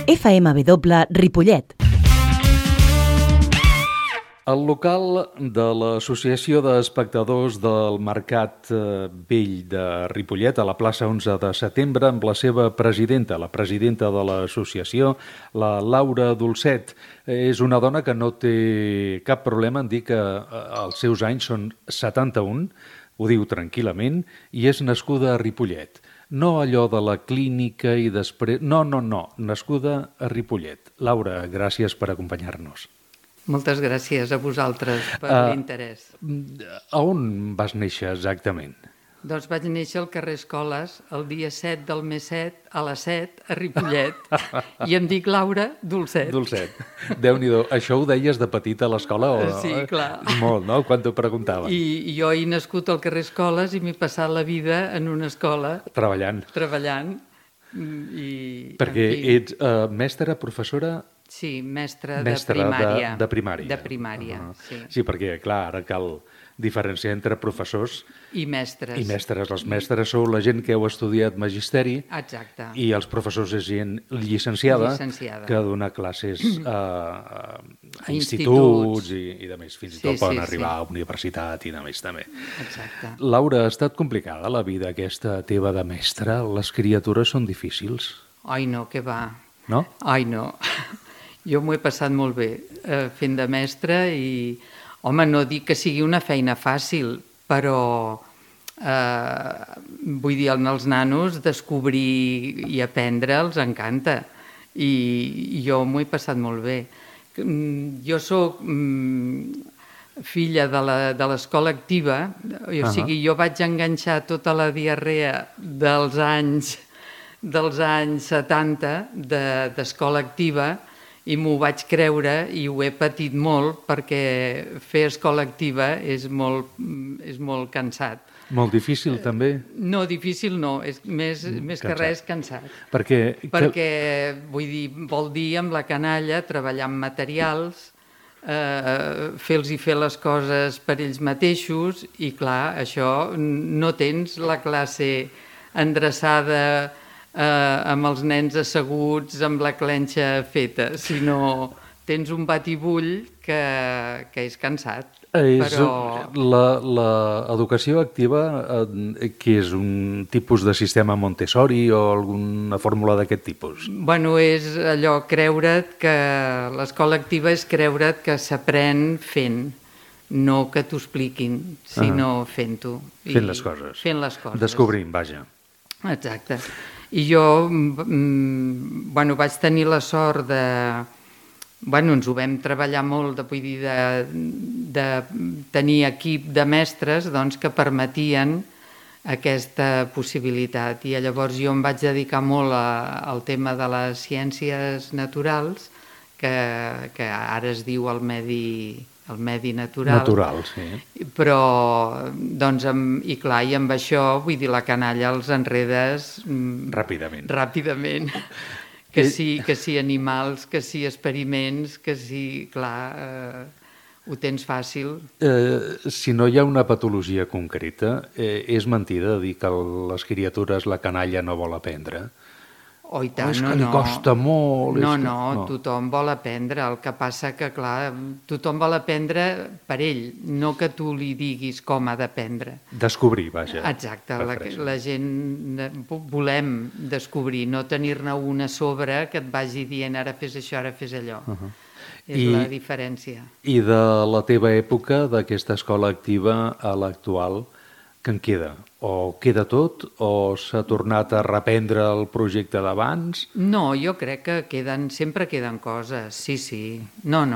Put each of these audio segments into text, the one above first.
FMW Ripollet. El local de l'Associació d'Espectadors del Mercat Vell de Ripollet, a la plaça 11 de setembre, amb la seva presidenta, la presidenta de l'associació, la Laura Dolcet. És una dona que no té cap problema en dir que els seus anys són 71, ho diu tranquil·lament, i és nascuda a Ripollet. No allò de la clínica i després... No, nascuda a Ripollet. Laura, gràcies per acompanyar-nos. Moltes gràcies a vosaltres per l'interès. A on vas néixer exactament? Doncs vaig néixer al carrer Escoles el dia 7 del mes 7 a les 7 a Ripollet i em dic Laura Dolcet. Dolcet. Déu-n'hi-do. Això ho deies de petita a l'escola? Sí, clar. Molt, no? Quan t'ho preguntaven. I jo he nascut al carrer Escoles i m'he passat la vida en una escola. Treballant. Perquè ets mestra, professora... Sí, mestra de primària. De primària. De primària, sí. Sí, perquè, clar, ara cal diferenciar entre professors i mestres. I mestres. Els mestres sou la gent que heu estudiat magisteri. Exacte. I els professors és gent llicenciada. Que dona classes a instituts i de més. Fins i tot poden arribar a universitat i de més també. Exacte. Laura, ha estat complicada la vida aquesta teva de mestra? Les criatures són difícils? Ai, no, què va. No? Ai, no. Jo m'ho he passat molt bé fent de mestra i, home, no dic que sigui una feina fàcil, però vull dir, als nanos descobrir i aprendre els encanta i jo m'ho he passat molt bé. Jo soc filla de l'escola activa, o sigui, jo vaig enganxar tota la diarrea dels anys 70 d'escola activa i m'ho vaig creure i ho he patit molt perquè fer escola activa és molt cansat. Molt difícil també? No, difícil no, és més que res cansat. Perquè vull dir, vol dir amb la canalla treballar amb materials, fer-los les coses per ells mateixos i clar, això no tens la classe endreçada amb els nens asseguts amb la clenxa feta, sinó tens un batibull que és cansat. L'educació activa, que és un tipus de sistema Montessori o alguna fórmula d'aquest tipus? Bueno, és allò, creure't que l'escola activa és creure't que s'aprèn fent, no que t'ho expliquin, sinó fent-ho. Fent les coses. Fent les coses. Descobrint, vaja. Exacte. I jo vaig tenir la sort de... Ens ho vam treballar molt, vull dir, de tenir equip de mestres que permetien aquesta possibilitat. I llavors jo em vaig dedicar molt al tema de les ciències naturals, que ara es diu el medi natural. Natural, sí. Però, i clar, i amb això, vull dir, la canalla els enredes... Ràpidament. Que sí animals, que sí experiments, que sí, clar, ho tens fàcil. Si no hi ha una patologia concreta, és mentida dir que les criatures la canalla no vol aprendre? Oh, i tant, és que li costa molt. No, tothom vol aprendre. El que passa que, clar, tothom vol aprendre per ell, no que tu li diguis com ha d'aprendre. Descobrir, vaja. Exacte, la gent volem descobrir, no tenir-ne una a sobre que et vagi dient ara fes això, ara fes allò. És la diferència. I de la teva època, d'aquesta escola activa a l'actual, què en queda? O queda tot? O s'ha tornat a reprendre el projecte d'abans? No, jo crec que sempre queden coses, sí. No,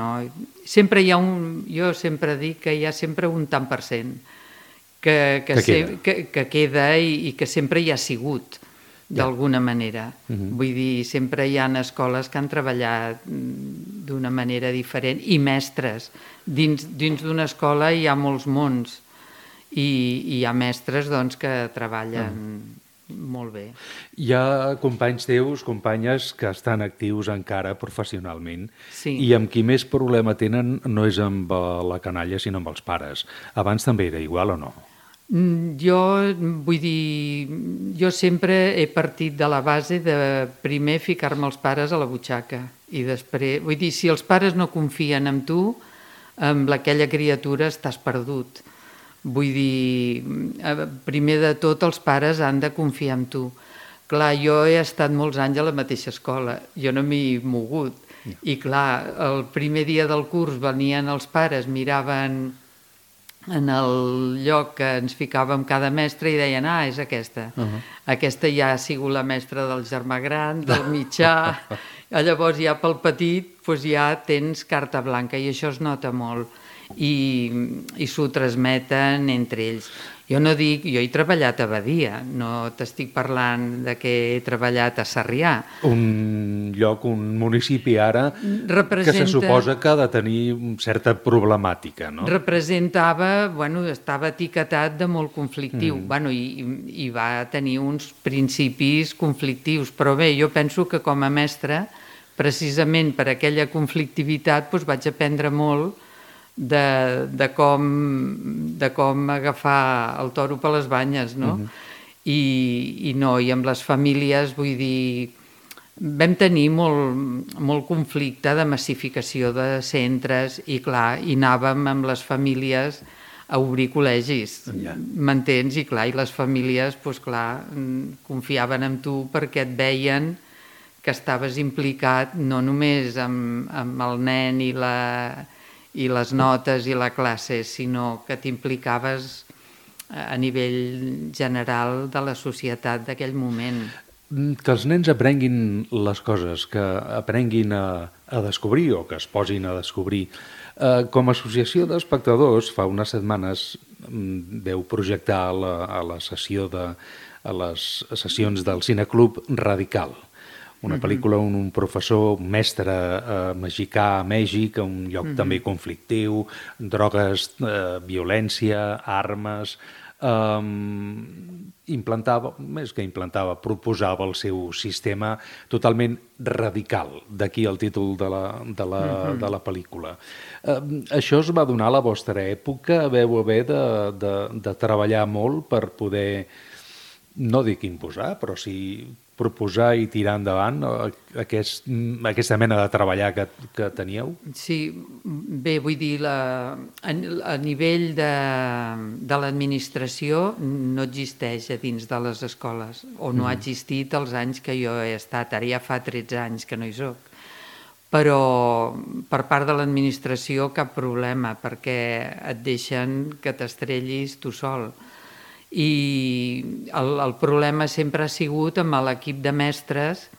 sempre hi ha jo sempre dic que hi ha sempre un tant per cent que queda i que sempre hi ha sigut, d'alguna manera. Vull dir, sempre hi ha escoles que han treballat d'una manera diferent i mestres. Dins d'una escola hi ha molts mons. I hi ha mestres que treballen molt bé. Hi ha companys teus, companyes, que estan actius encara professionalment i amb qui més problema tenen no és amb la canalla, sinó amb els pares. Abans també era igual o no? Jo, vull dir, jo sempre he partit de la base de primer ficar-me els pares a la butxaca i després, vull dir, si els pares no confien en tu, amb aquella criatura estàs perdut. Vull dir, primer de tot els pares han de confiar en tu. Clar, jo he estat molts anys a la mateixa escola, jo no m'he mogut. I clar, el primer dia del curs venien els pares, miraven en el lloc que ens ficàvem cada mestre i deien, és aquesta. Aquesta ja ha sigut la mestra del germà gran, del mitjà. Llavors ja pel petit ja tens carta blanca i això es nota molt. I s'ho transmeten entre ells. Jo no dic, jo he treballat a Badia, no t'estic parlant de que he treballat a Sarrià. Un lloc, un municipi ara que se suposa que ha de tenir certa problemàtica, no? Representava, estava etiquetat de molt conflictiu, i va tenir uns principis conflictius, però bé, jo penso que com a mestre, precisament per aquella conflictivitat, vaig aprendre molt de com agafar el toro per les banyes, no? I amb les famílies, vull dir, vam tenir molt conflicte de massificació de centres i clar, i anàvem amb les famílies a obrir col·legis, m'entens? I clar, i les famílies, clar, confiaven en tu perquè et veien que estaves implicat no només amb el nen i les notes i la classe, sinó que t'implicaves a nivell general de la societat d'aquell moment. Que els nens aprenguin les coses, que aprenguin a descobrir o que es posin a descobrir. Com a associació d'espectadors, fa unes setmanes veu projectar a les sessions del Cineclub Radical, una pel·lícula on un professor, un mestre mexicà a Mèxic, un lloc també conflictiu, drogues, violència, armes, proposava el seu sistema totalment radical, d'aquí el títol de la pel·lícula. Això es va donar a la vostra època? Vau haver de treballar molt per poder, no dic imposar, però sí proposar i tirar endavant aquesta mena de treballar que teníeu? Sí, bé, vull dir, a nivell de l'administració no existeix a dins de les escoles, o no ha existit els anys que jo he estat, ara ja fa 13 anys que no hi soc. Però per part de l'administració cap problema, perquè et deixen que t'estrellis tu sol. I el problema sempre ha sigut amb l'equip de mestres,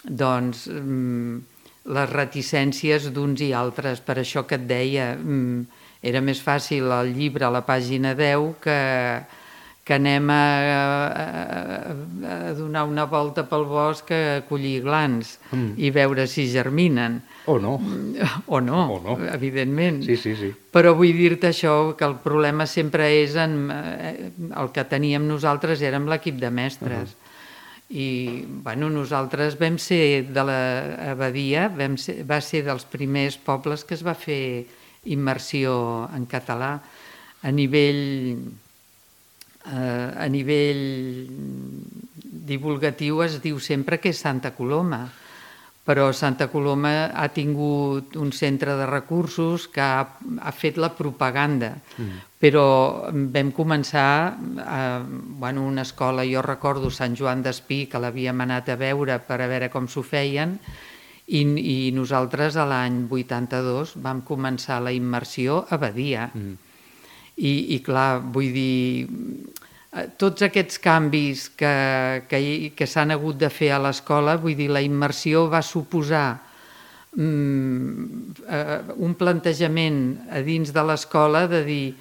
doncs, les reticències d'uns i altres. Per això que et deia, era més fàcil el llibre a la pàgina 10 que anem a donar una volta pel bosc a collir glans i veure si germinen. O no. O no, evidentment. Sí. Però vull dir-te això, que el problema sempre és el que teníem nosaltres era amb l'equip de mestres. I nosaltres vam ser de l'Abadia, va ser dels primers pobles que es va fer immersió en català. A nivell divulgatiu es diu sempre que és Santa Coloma, però Santa Coloma ha tingut un centre de recursos que ha fet la propaganda, però vam començar una escola, jo recordo Sant Joan d'Espí, que l'havíem anat a veure per a veure com s'ho feien, i nosaltres a l'any 82 vam començar la immersió a Badia. I clar, vull dir, tots aquests canvis que s'han hagut de fer a l'escola, vull dir, la immersió va suposar un plantejament a dins de l'escola de dir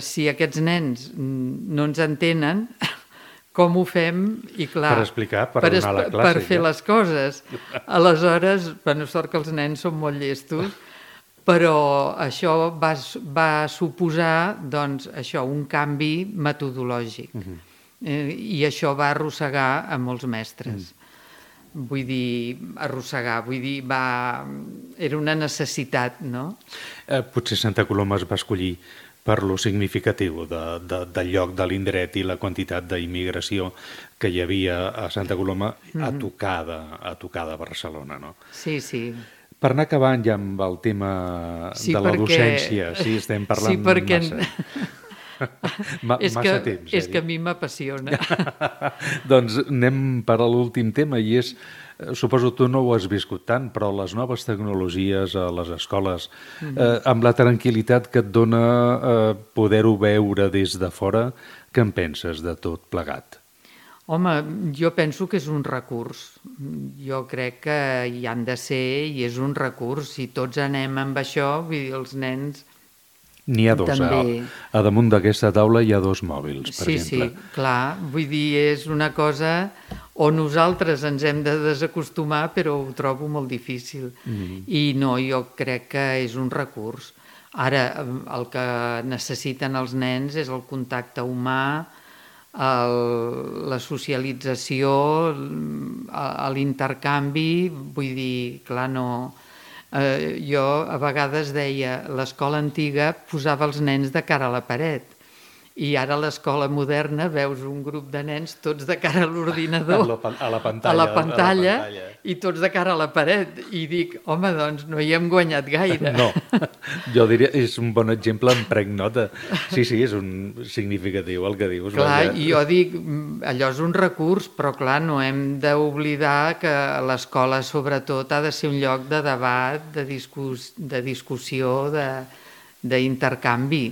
si aquests nens no ens entenen, com ho fem? I clar, per explicar, per donar la classe. Per fer les coses. Aleshores, sort que els nens són molt llestos, però això va suposar un canvi metodològic i això va arrossegar a molts mestres. Vull dir, era una necessitat, no? Potser Santa Coloma es va escollir per lo significatiu del lloc, de l'indret i la quantitat d'immigració que hi havia a Santa Coloma a tocar de Barcelona, no? Sí, sí. Per anar acabant ja amb el tema de la docència, sí, estem parlant massa. Massa temps. És que a mi m'apassiona. Doncs anem per a l'últim tema i és, suposo tu no ho has viscut tant, però les noves tecnologies a les escoles, amb la tranquil·litat que et dona poder-ho veure des de fora, què en penses de tot plegat? Home, jo penso que és un recurs. Jo crec que hi han de ser i és un recurs. Si tots anem amb això, vull dir, els nens... N'hi ha dos. A damunt d'aquesta taula hi ha dos mòbils, per exemple. Sí, clar. Vull dir, és una cosa on nosaltres ens hem de desacostumar, però ho trobo molt difícil. I no, jo crec que és un recurs. Ara, el que necessiten els nens és el contacte humà, la socialització, l'intercanvi. Vull dir, clar, no... Jo a vegades deia l'escola antiga posava els nens de cara a la paret i ara a l'escola moderna veus un grup de nens tots de cara a l'ordinador, a la pantalla i tots de cara a la paret i dic, home, doncs no hi hem guanyat gaire. No, jo diria, és un bon exemple, em prenc nota. Sí, és un significatiu el que dius. Clar, i jo dic, allò és un recurs, però clar, no hem d'oblidar que l'escola sobretot ha de ser un lloc de debat, de discussió, d'intercanvi.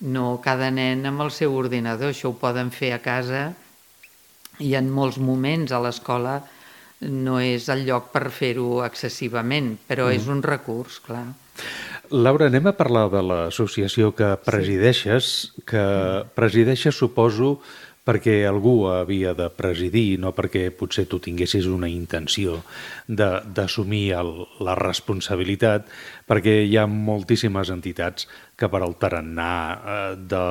No cada nen amb el seu ordinador, això ho poden fer a casa i en molts moments a l'escola no és el lloc per fer-ho excessivament, però és un recurs, clar. Laura, anem a parlar de l'associació que presideixes, suposo, perquè algú havia de presidir, no perquè potser tu tinguessis una intenció d'assumir la responsabilitat, perquè hi ha moltíssimes entitats que per al tarannà de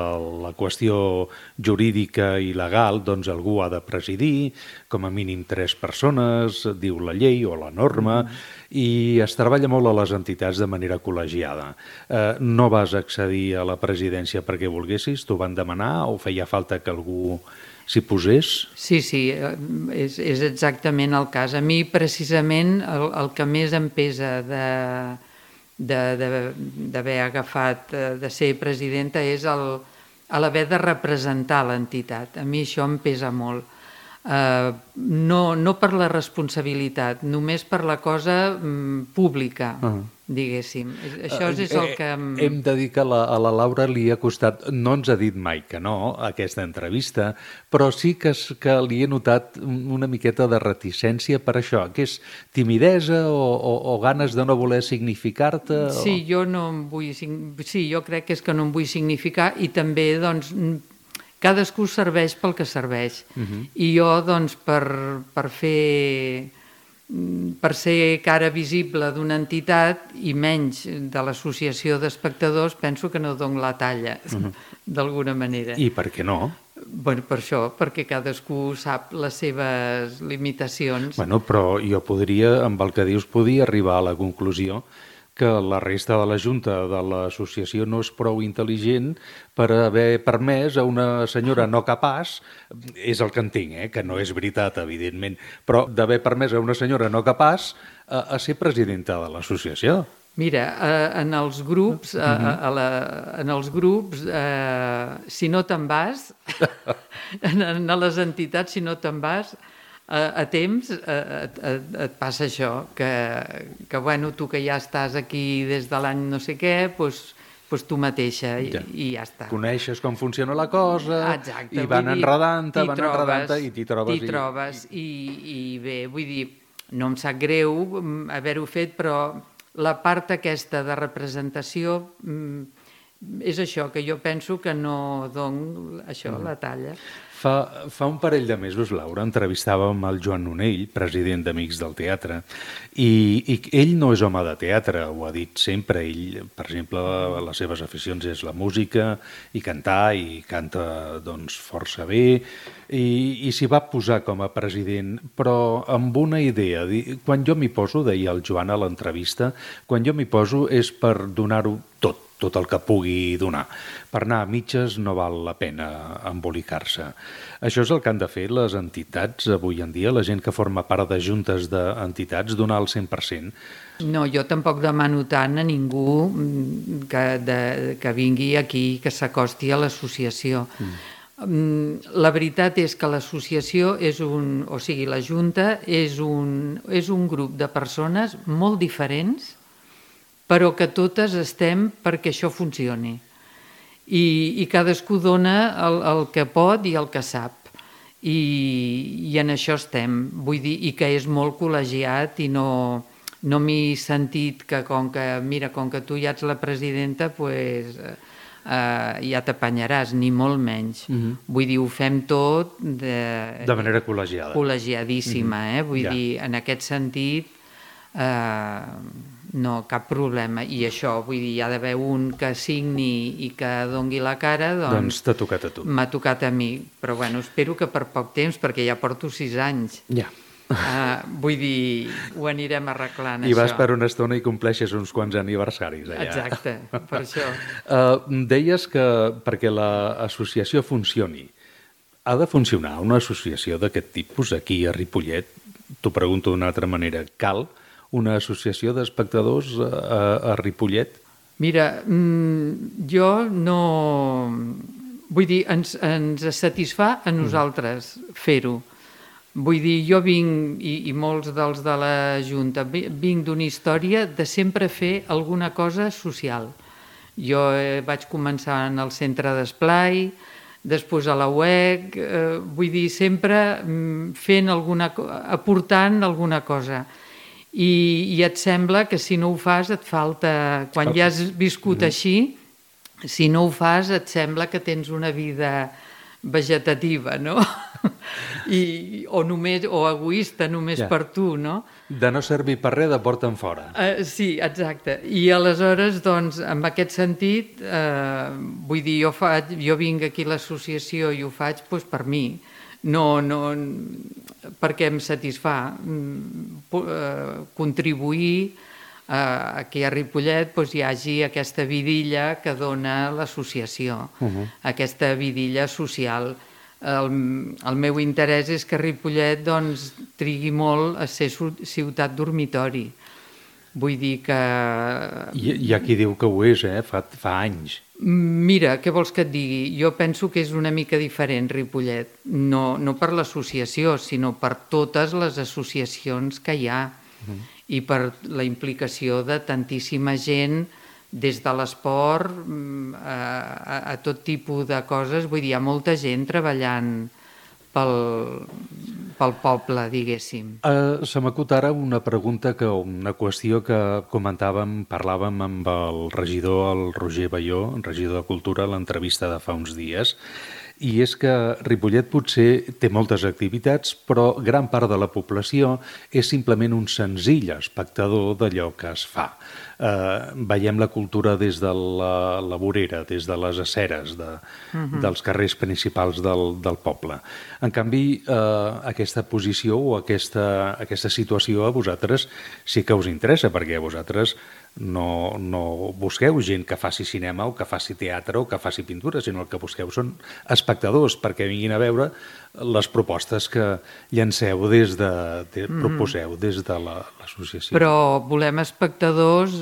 la qüestió jurídica i legal, doncs algú ha de presidir, com a mínim 3 persones, diu la llei o la norma, i es treballa molt a les entitats de manera col·legiada. No vas accedir a la presidència perquè volguessis? T'ho van demanar o feia falta que algú s'hi posés? Sí, és exactament el cas. A mi, precisament, el que més em pesa d'haver agafat de ser presidenta és l'haver de representar l'entitat. A mi això em pesa molt. No per la responsabilitat, només per la cosa pública, diguéssim. Això és el que... Hem de dir que a la Laura li ha costat, no ens ha dit mai que no, aquesta entrevista, però sí que li he notat una miqueta de reticència per això, que és timidesa o ganes de no voler significar-te? Sí, jo no em vull... Sí, jo crec que és que no em vull significar i també, doncs, cadascú serveix pel que serveix. I jo, doncs, per ser cara visible d'una entitat i menys de l'associació d'espectadors, penso que no dono la talla, d'alguna manera. I per què no? Bueno, per això, perquè cadascú sap les seves limitacions. Bueno, però jo podria, amb el que dius, podia arribar a la conclusió que la resta de la Junta de l'associació no és prou intel·ligent per haver permès a una senyora no capaç, és el que entenc, que no és veritat, evidentment, però d'haver permès a una senyora no capaç a ser presidenta de l'associació. Mira, en els grups, si no te'n vas, en les entitats, si no te'n vas, a temps et passa això, que bueno, tu que ja estàs aquí des de l'any no sé què, doncs tu mateixa i ja està. Coneixes com funciona la cosa, i van enredant-te i t'hi trobes. T'hi trobes i bé, vull dir, no em sap greu haver-ho fet, però la part aquesta de representació és això, que jo penso que no dono la talla. Fa un parell de mesos, Laura, entrevistàvem el Joan Nonell, president d'Amics del Teatre, i ell no és home de teatre, ho ha dit sempre. Ell, per exemple, les seves aficions és la música i cantar, i canta doncs força bé, i s'hi va posar com a president, però amb una idea. Quan jo m'hi poso, deia el Joan a l'entrevista, quan jo m'hi poso és per donar-ho tot tot el que pugui donar. Per anar a mitges no val la pena embolicar-se. Això és el que han de fer les entitats avui en dia, la gent que forma part de juntes d'entitats, donar el 100%. No, jo tampoc demano tant a ningú que vingui aquí, que s'acosti a l'associació. La veritat és que l'associació o sigui, la Junta és un grup de persones molt diferents, però que totes estem perquè això funcioni. I cadascú dona el que pot i el que sap. I en això estem. Vull dir, i que és molt col·legiat i no m'he sentit que com que tu ja ets la presidenta, doncs ja t'apanyaràs, ni molt menys. Vull dir, ho fem tot de manera col·legiada. Col·legiadíssima, vull dir, en aquest sentit no, cap problema. I això, vull dir, hi ha d'haver un que signi i que dongui la cara, doncs t'ha tocat a tu. M'ha tocat a mi, però bueno, espero que per poc temps, perquè ja porto 6 anys. Ja. Vull dir, ho anirem arreglant, això. I vas per una estona i compleixes uns quants aniversaris allà. Exacte, per això. Deies que perquè l'associació funcioni, ha de funcionar una associació d'aquest tipus aquí a Ripollet? T'ho pregunto d'una altra manera. Cal una associació d'espectadors a Ripollet? Mira, jo no... Vull dir, ens satisfà a nosaltres fer-ho. Vull dir, jo vinc, i molts dels de la Junta, vinc d'una història de sempre fer alguna cosa social. Jo vaig començar en el centre d'esplai, després a la UEC, vull dir, sempre fent aportant alguna cosa. I et sembla que si no ho fas et falta... Quan ja has viscut així, si no ho fas et sembla que tens una vida vegetativa, no? O egoista només per tu, no? De no servir per res, de porta en fora. Sí, exacte. I aleshores, doncs, en aquest sentit, vull dir, jo vinc aquí a l'associació i ho faig per mi. No, perquè em satisfà contribuir aquí a Ripollet hi hagi aquesta vidilla que dona l'associació, aquesta vidilla social. El meu interès és que Ripollet trigui molt a ser ciutat dormitori. Vull dir que... Hi ha qui diu que ho és, fa anys. Mira, què vols que et digui? Jo penso que és una mica diferent Ripollet, no per l'associació, sinó per totes les associacions que hi ha i per la implicació de tantíssima gent, des de l'esport a tot tipus de coses. Vull dir, hi ha molta gent treballant pel poble, diguéssim. Se m'acut ara una qüestió que parlàvem amb el regidor, el Roger Balló, regidor de Cultura, a l'entrevista de fa uns dies, i és que Ripollet potser té moltes activitats, però gran part de la població és simplement un senzill espectador d'allò que es fa. Veiem la cultura des de la vorera, des de les aceres, dels carrers principals del poble. En canvi, aquesta posició o aquesta situació a vosaltres sí que us interessa, perquè a vosaltres no busqueu gent que faci cinema o que faci teatre o que faci pintura, sinó el que busqueu són espectadors perquè vinguin a veure les propostes que proposeu des de l'associació. Però volem espectadors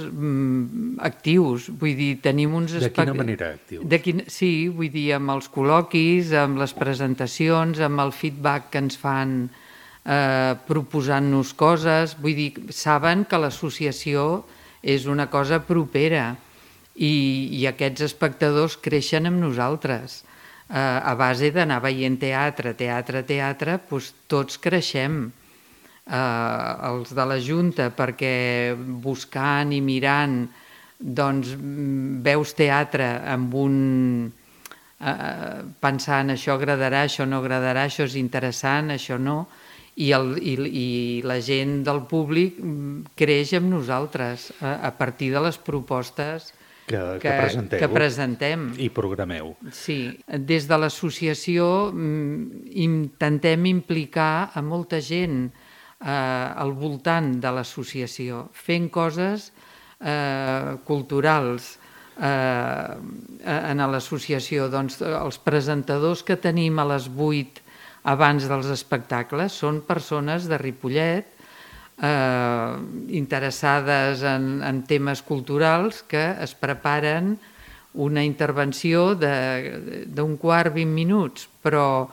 actius, vull dir, tenim uns... De quina manera actius? Sí, vull dir, amb els col·loquis, amb les presentacions, amb el feedback que ens fan proposant-nos coses. Vull dir, saben que l'associació és una cosa propera i aquests espectadors creixen amb nosaltres. A base d'anar veient teatre, doncs tots creixem. Els de la Junta, perquè buscant i mirant doncs veus teatre amb pensant això agradarà, això no agradarà, això és interessant, això no, i la gent del públic creix amb nosaltres a partir de les propostes que presentem i programeu. Sí, des de l'associació intentem implicar a molta gent al voltant de l'associació, fent coses culturals, en l'associació. Doncs els presentadors que tenim a les 8 abans dels espectacles són persones de Ripollet, interessades en temes culturals, que es preparen una intervenció d'un quart, 20 minuts, però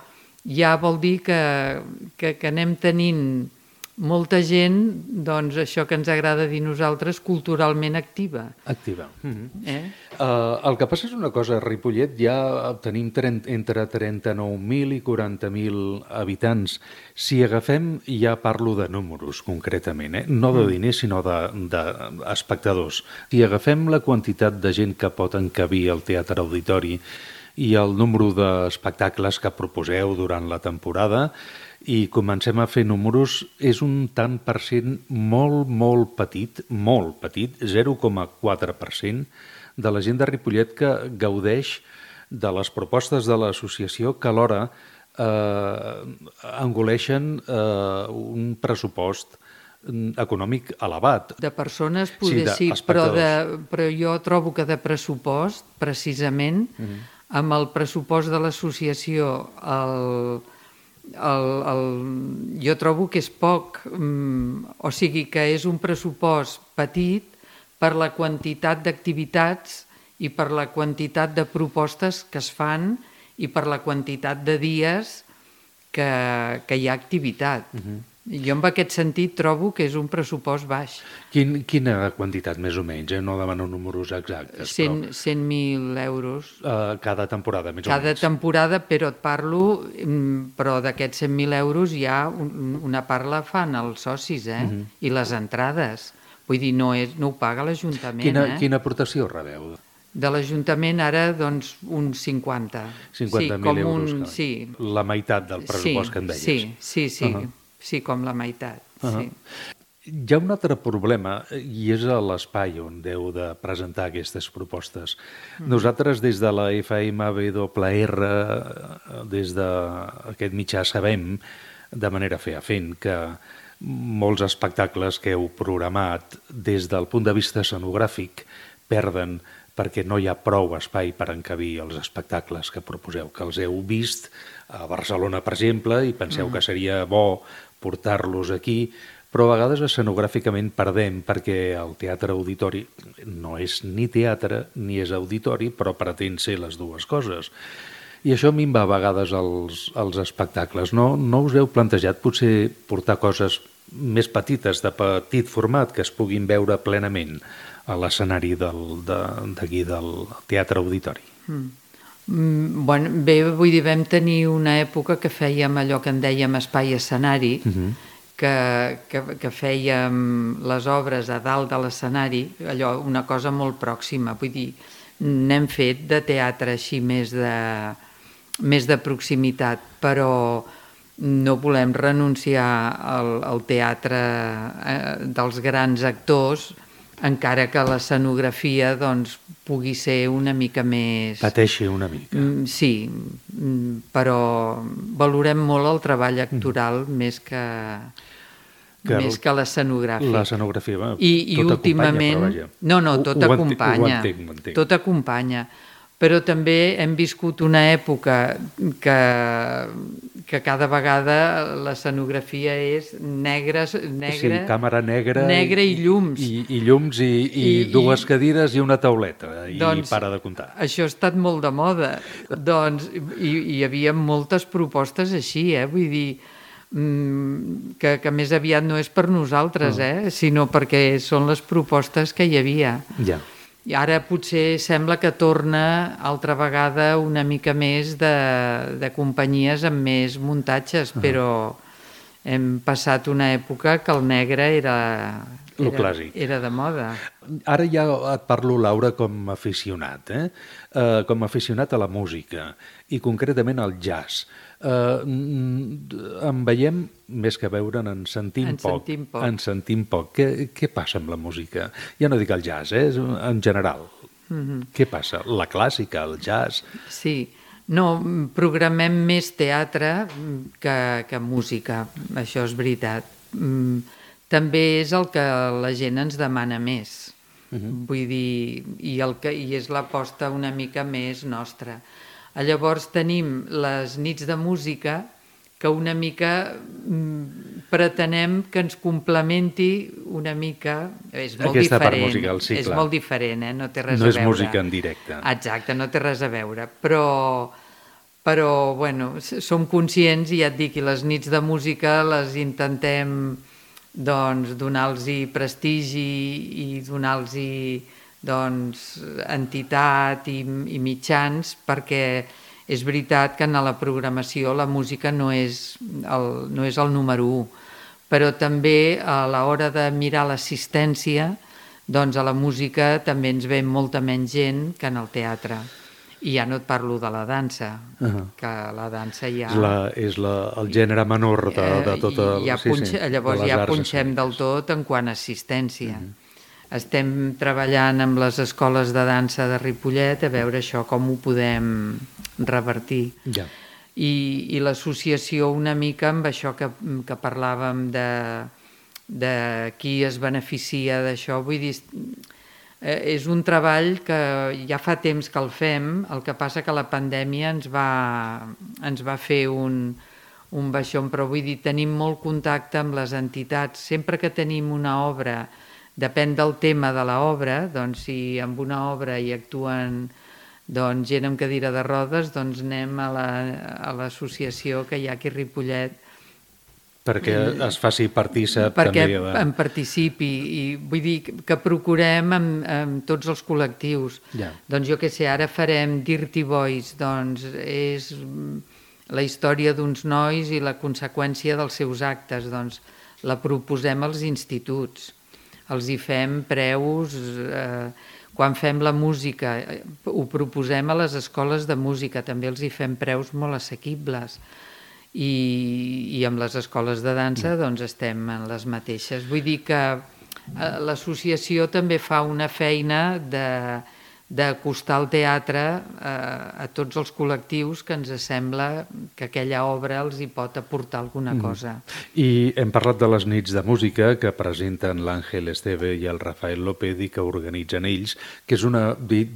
ja vol dir que anem tenint molta gent, doncs això que ens agrada dir nosaltres, culturalment activa. Activa. El que passa és una cosa, a Ripollet ja tenim entre 39.000 i 40.000 habitants. Si agafem, ja parlo de números concretament, no de diners sinó d'espectadors. Si agafem la quantitat de gent que pot encabir al Teatre Auditori i el número d'espectacles que proposeu durant la temporada, i comencem a fer números, és un tant per cent molt petit, 0,4% de la gent de Ripollet que gaudeix de les propostes de l'associació, que alhora engoleixen un pressupost econòmic elevat. De persones poder sí, però jo trobo que de pressupost, precisament, amb el pressupost de l'associació, jo trobo que és poc, o sigui que és un pressupost petit per la quantitat d'activitats i per la quantitat de propostes que es fan i per la quantitat de dies que hi ha activitat. Jo en aquest sentit trobo que és un pressupost baix. Quina quantitat més o menys? No demano números exactes. 100.000 euros. Cada temporada, més o menys. Cada temporada, però et parlo, però d'aquests 100.000 euros ja una part la fan els socis, i les entrades. Vull dir, no ho paga l'Ajuntament. Quina aportació rebeu? De l'Ajuntament ara, doncs, uns 50. 50.000 euros. Sí. La meitat del pressupost que em deies. Sí. Sí, com la meitat. Hi ha un altre problema, i és l'espai on heu de presentar aquestes propostes. Nosaltres, des de la FMWR, des d'aquest mitjà, sabem, de manera fefaent, que molts espectacles que heu programat des del punt de vista escenogràfic perden perquè no hi ha prou espai per encabir els espectacles que proposeu, que els heu vist a Barcelona, per exemple, i penseu que seria bo portar-los aquí, però a vegades escenogràficament perdem perquè el Teatre Auditori no és ni teatre ni és auditori, però pretén ser les dues coses. I això minva a vegades els espectacles. No us heu plantejat potser portar coses més petites, de petit format, que es puguin veure plenament a l'escenari d'aquí del Teatre Auditori? Bé, vull dir, vam tenir una època que fèiem allò que en dèiem espai-escenari, que fèiem les obres a dalt de l'escenari, allò, una cosa molt pròxima. Vull dir, n'hem fet de teatre així més de proximitat, però no volem renunciar al teatre dels grans actors, encara que l'escenografia doncs, pugui ser una mica més... Pateixi una mica. Sí, però valorem molt el treball actoral més que l'escenogràfic. L'escenografia, I tot últimament... acompanya, però vaja. No, tot acompanya. Ho entenc. Tot acompanya. Però també hem viscut una època que cada vegada l'escenografia és negra, càmera negra i llums. I llums i dues cadires i una tauleta, i para de comptar. Això ha estat molt de moda. Doncs hi havia moltes propostes així, vull dir, que més aviat no és per nosaltres, sinó perquè són les propostes que hi havia. Ja. I ara potser sembla que torna altra vegada una mica més de companyies amb més muntatges, però hem passat una època que el negre era de moda. Ara ja et parlo, Laura, com a aficionat, com a aficionat a la música i concretament al jazz. En veiem, més que veure'n, en sentim poc. Què passa amb la música? Ja no dic el jazz, en general. Què passa? La clàssica, el jazz? Sí, no, programem més teatre que música, això és veritat. També és el que la gent ens demana més. Vull dir, i és l'aposta una mica més nostra. Llavors tenim les nits de música, que una mica pretenem que ens complementi una mica... És molt aquesta diferent, part musical, sí, és clar. molt diferent, no té res a No veure. és música en directe. Exacte, no té res a veure, però bueno, som conscients, i ja et dic, i les nits de música les intentem doncs donar-los prestigi i donar-los doncs entitat i mitjans, perquè és veritat que en la programació la música no és el número 1, però també a l'hora de mirar l'assistència, doncs a la música també ens ve molta menys gent que en el teatre. I ja no et parlo de la dansa, que la dansa ja... És el gènere menor de tot el... Llavors ja punxem del tot en quant a assistència. Estem treballant amb les escoles de dansa de Ripollet a veure això com ho podem revertir. Ja. I l'associació una mica amb això que parlàvem de qui es beneficia d'això, vull dir, és un treball que ja fa temps que el fem, el que passa que la pandèmia ens va fer un baixón, però vull dir, tenim molt contacte amb les entitats. Sempre que tenim una obra, depèn del tema de l'obra, doncs si amb una obra hi actuen gent amb cadira de rodes, doncs anem a l'associació que hi ha aquí a Ripollet, perquè es faci partícip perquè també en participi, i vull dir que procurem amb tots els col·lectius. Doncs jo què sé, ara farem Dirty Boys, doncs és la història d'uns nois i la conseqüència dels seus actes, doncs la proposem als instituts, els hi fem preus, quan fem la música ho proposem a les escoles de música, també els hi fem preus molt assequibles. I amb les escoles de dansa doncs estem en les mateixes. Vull dir que l'associació també fa una feina d'acostar el teatre a tots els col·lectius que ens sembla que aquella obra els hi pot aportar alguna cosa. I hem parlat de les nits de música que presenten l'Àngel Esteve i el Rafael López i que organitzen ells, que és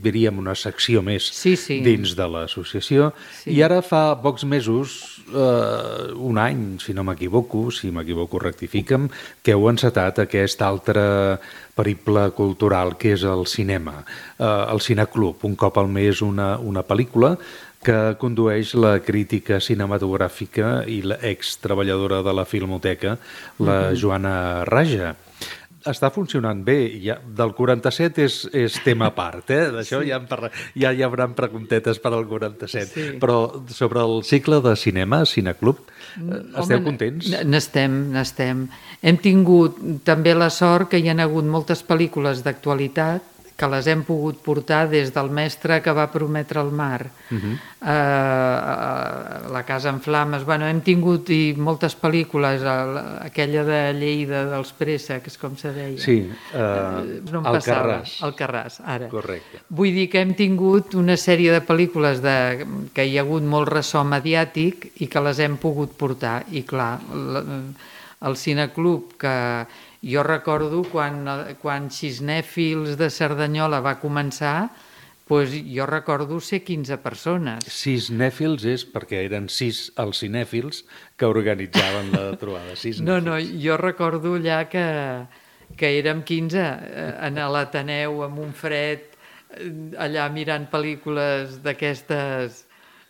diríem una secció més dins de l'associació. I ara fa pocs mesos, un any, si no m'equivoco, rectifica'm, que heu encetat aquest altre periple cultural que és el cinema, el Cineclub, un cop al mes una pel·lícula que condueix la crítica cinematogràfica i l'ex-treballadora de la Filmoteca, la Joana Raja. Està funcionant bé, del 47 és tema a part, d'això ja hi haurà preguntetes per al 47, però sobre el cicle de cinema, Cineclub, esteu contents? N'estem. Hem tingut també la sort que hi ha hagut moltes pel·lícules d'actualitat que les hem pogut portar des del mestre que va prometre el mar, La casa en flames. Hem tingut moltes pel·lícules, aquella de Lleida dels préssecs, com se deia. Sí, Alcarràs, ara. Correcte. Vull dir que hem tingut una sèrie de pel·lícules que hi ha hagut molt ressò mediàtic i que les hem pogut portar. I clar, el Cineclub, que jo recordo quan Xisnèfils de Cerdanyola va començar, jo recordo ser 15 persones. Xisnèfils és perquè eren 6 els cinèfils que organitzaven la trobada. No, jo recordo allà que érem 15 en l'Ateneu amb un fred, allà mirant pel·lícules d'aquestes...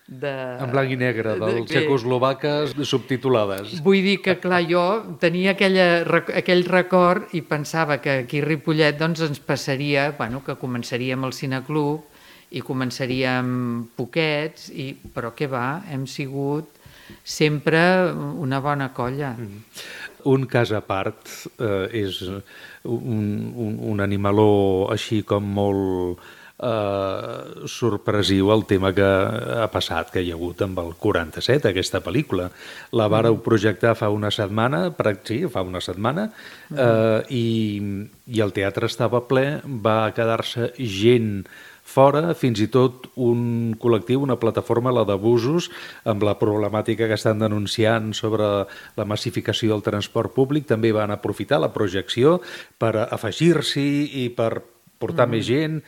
En blanc i negre, dels txecoslovaques subtitulades. Vull dir que, clar, jo tenia aquell record i pensava que aquí a Ripollet ens passaria, que començaríem el Cineclub i començaríem poquets, però què va, hem sigut sempre una bona colla. Un cas a part és un animaló així com molt... sorpresiu el tema que ha passat, que hi ha hagut amb el 47, aquesta pel·lícula. La vàreu projectar fa una setmana, i el teatre estava ple, va quedar-se gent fora, fins i tot un col·lectiu, una plataforma, la d'abusos, amb la problemàtica que estan denunciant sobre la massificació del transport públic, també van aprofitar la projecció per afegir-s'hi i per portar més gent,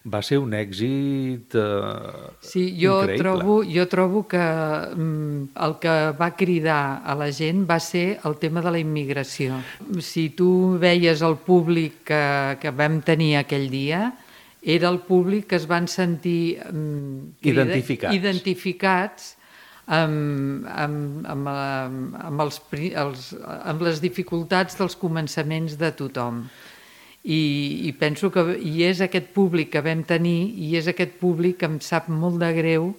va ser un èxit increïble. Jo trobo que el que va cridar a la gent va ser el tema de la immigració. Si tu veies el públic que vam tenir aquell dia, era el públic que es van sentir identificats amb les dificultats dels començaments de tothom. I penso que és aquest públic que vam tenir i és aquest públic que em sap molt de greu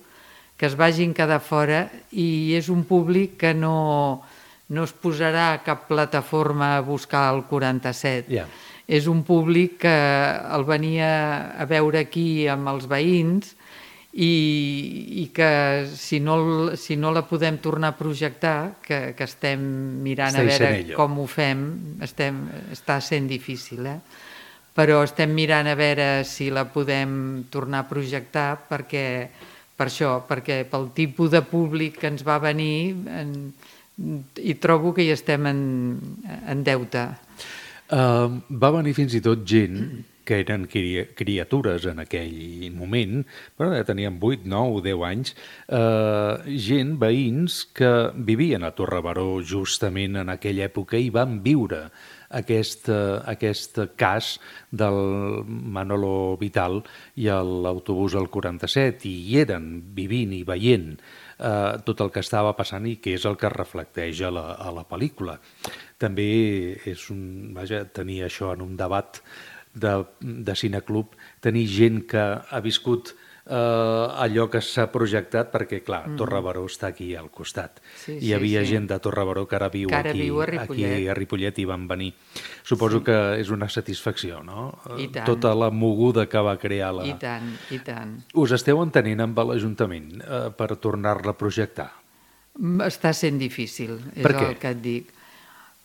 que es vagin quedar fora, i és un públic que no es posarà a cap plataforma a buscar el 47. Yeah. És un públic que el venia a veure aquí amb els veïns i que si no la podem tornar a projectar, que estem mirant a veure com ho fem, està sent difícil, però estem mirant a veure si la podem tornar a projectar perquè pel tipus de públic que ens va venir i trobo que hi estem en deute. Va venir fins i tot gent que eren criatures en aquell moment, però ja tenien 8, 9, 10 anys, gent, veïns, que vivien a Torrebaró justament en aquella època i van viure aquest cas del Manolo Vital i l'autobús al 47, i hi eren vivint i veient tot el que estava passant i que és el que es reflecteix a la pel·lícula. També tenir això en un debat de cineclub, tenir gent que ha viscut allò que s'ha projectat, perquè, clar, Torrebaró està aquí al costat. Hi havia gent de Torrebaró que ara viu aquí a Ripollet i van venir. Suposo que és una satisfacció, no? Tota la moguda que va crear la... I tant. Us esteu entenent amb l'Ajuntament per tornar-la a projectar? Està sent difícil, és el que et dic.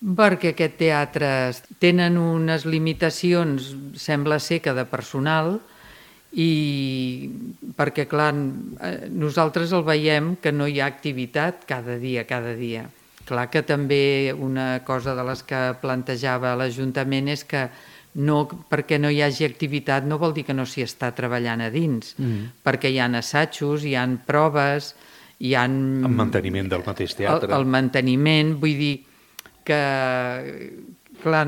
Perquè aquest teatre tenen unes limitacions, sembla ser que de personal, i perquè, clar, nosaltres el veiem que no hi ha activitat cada dia. Clar que també una cosa de les que plantejava l'Ajuntament és que perquè no hi hagi activitat no vol dir que no s'hi està treballant a dins, perquè hi ha assajos, hi ha proves, hi ha... El manteniment del mateix teatre. El manteniment, vull dir que, clar,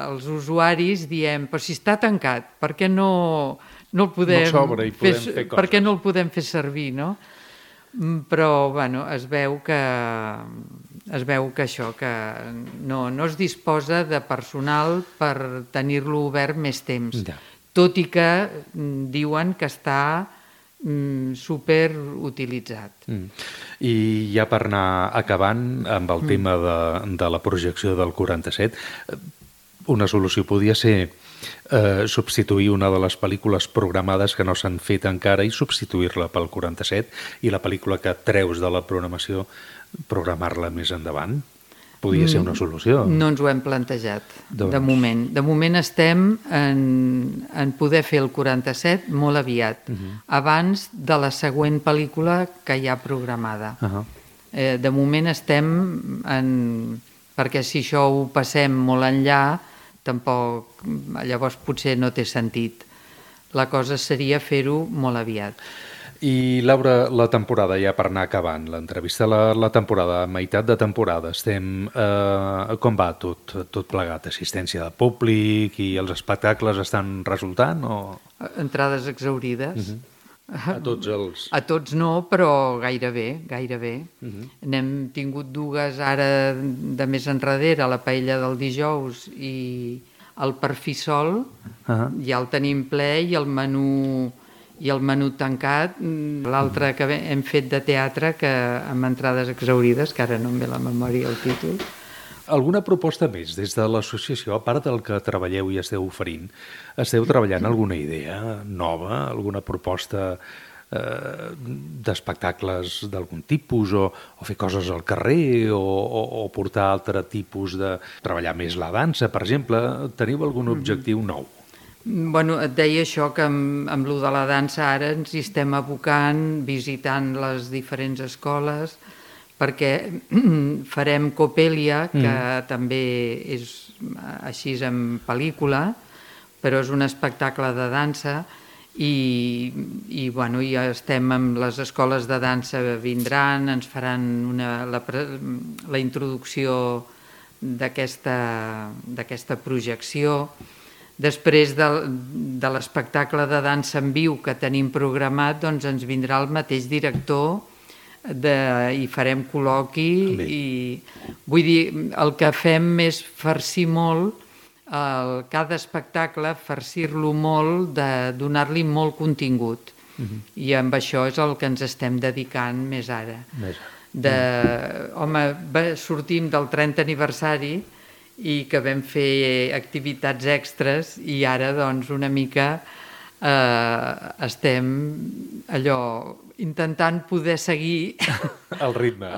els usuaris diem, però si està tancat, per què no el podem fer, per què no el podem fer servir, no? Però, bueno, es veu que això, que no es disposa de personal per tenir-lo obert més temps, tot i que diuen que està superutilitzat. I ja per anar acabant amb el tema de la projecció del 47, una solució podia ser substituir una de les pel·lícules programades que no s'han fet encara i substituir-la pel 47, i la pel·lícula que treus de la programació programar-la més endavant. Podia ser una solució. No ens ho hem plantejat, de moment. De moment estem en poder fer el 47 molt aviat, abans de la següent pel·lícula que hi ha programada. De moment estem perquè si això ho passem molt enllà, tampoc, llavors potser no té sentit. La cosa seria fer-ho molt aviat. I, Laura, la temporada, ja per anar acabant l'entrevista, la temporada, meitat de temporada, com va tot plegat? Assistència de públic i els espectacles estan resultant? Entrades exhaurides. A tots els... A tots no, però gairebé. N'hem tingut dues ara de més enrere, la paella del dijous i el perfissol, ja el tenim ple, i el menú tancat, l'altre que hem fet de teatre, que amb entrades exhaurides, que ara no em ve la memòria el títol. Alguna proposta més des de l'associació, a part del que treballeu i esteu oferint? Esteu treballant alguna idea nova, alguna proposta d'espectacles d'algun tipus, o fer coses al carrer, o portar altre tipus de... treballar més la dansa, per exemple? Teniu algun objectiu nou? Bueno, et deia això, que amb lo de la dansa ara ens hi estem abocant, visitant les diferents escoles, perquè farem Copèlia, que també és així en pel·lícula, però és un espectacle de dansa i ja estem amb les escoles de dansa, vindran, ens faran la introducció d'aquesta projecció. Després de l'espectacle de dansa en viu que tenim programat, doncs ens vindrà el mateix director i farem col·loqui. Vull dir, el que fem és farcir molt cada espectacle, farcir-lo molt, de donar-li molt contingut. I amb això és el que ens estem dedicant més ara. Sortim del 30 aniversari i que vam fer activitats extres i ara doncs una mica estem intentant poder seguir el ritme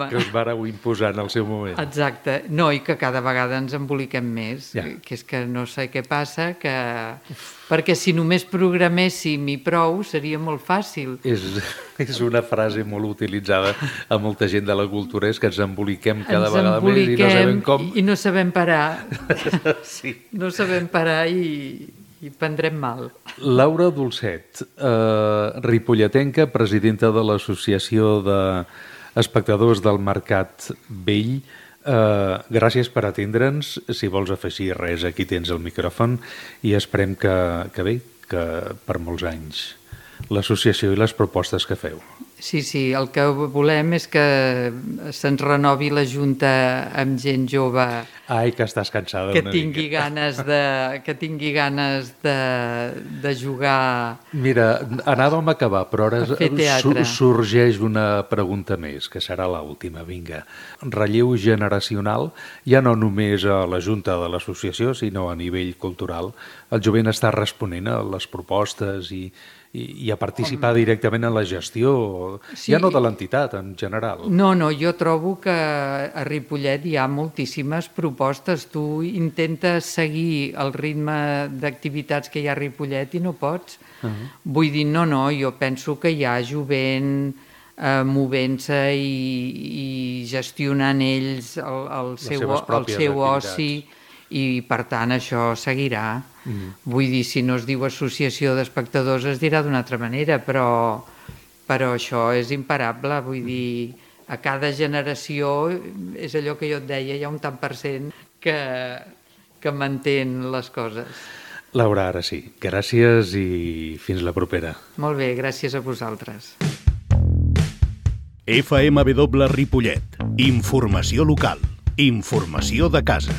que us vareu imposar en el seu moment. Exacte. No, i que cada vegada ens emboliquem més, que és que no sé què passa, perquè si només programéssim i prou seria molt fàcil. És una frase molt utilitzada a molta gent de la cultura, és que ens emboliquem cada vegada més i no sabem com. I no sabem parar. Sí. No sabem parar i prendrem mal. Laura Dolcet, ripolletenca, presidenta de l'Associació d'Espectadors del Mercat Vell. Gràcies per atendre'ns. Si vols afegir res, aquí tens el micròfon i esperem que per molts anys l'associació i les propostes que feu. Sí, el que volem és que se'ns renovi la Junta amb gent jove. Ai, que estàs cansada una mica. Que tingui ganes de jugar. Mira, anàvem a acabar, però ara sorgeix una pregunta més, que serà l'última. Vinga. Relleu generacional, ja no només a la Junta de l'Associació, sinó a nivell cultural. El jovent està responent a les propostes i a participar directament en la gestió, ja no de l'entitat en general. No, jo trobo que a Ripollet hi ha moltíssimes propostes. Tu intentes seguir el ritme d'activitats que hi ha a Ripollet i no pots. Vull dir, no, jo penso que hi ha jovent movent-se i gestionant ells el seu oci i, per tant, això seguirà. Vull dir, si no es diu associació d'espectadors es dirà d'una altra manera, però això és imparable. Vull dir, a cada generació, és allò que jo et deia, hi ha un tant per cent que mantén les coses. Laura, ara sí. Gràcies i fins la propera. Molt bé, gràcies a vosaltres. FMW Ripollet. Informació local. Informació de casa.